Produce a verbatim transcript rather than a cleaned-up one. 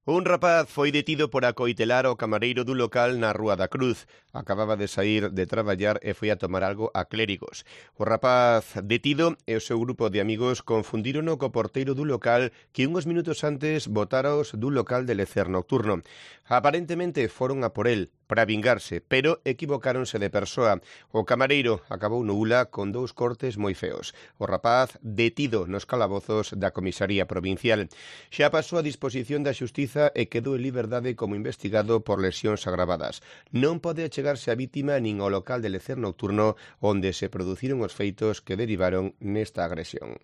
Un rapaz foi detido por acoitelar ao camareiro dun local na Rúa da Cruz. Acababa de saír de traballar e foi a tomar algo a Clérigos. O rapaz detido e o seu grupo de amigos confundírono co porteiro dun local que uns minutos antes botáraos dun local de lecer nocturno. Aparentemente foron a por el para vingarse, pero equivocáronse de persoa. O camareiro acabou no ula con dous cortes moi feos. O rapaz detido nos calabozos da comisaría provincial. Xa pasou a disposición da xustiza e quedou en liberdade como investigado por lesións agravadas. Non pode achegarse a vítima nin ao local de lecer nocturno onde se produciron os feitos que derivaron nesta agresión.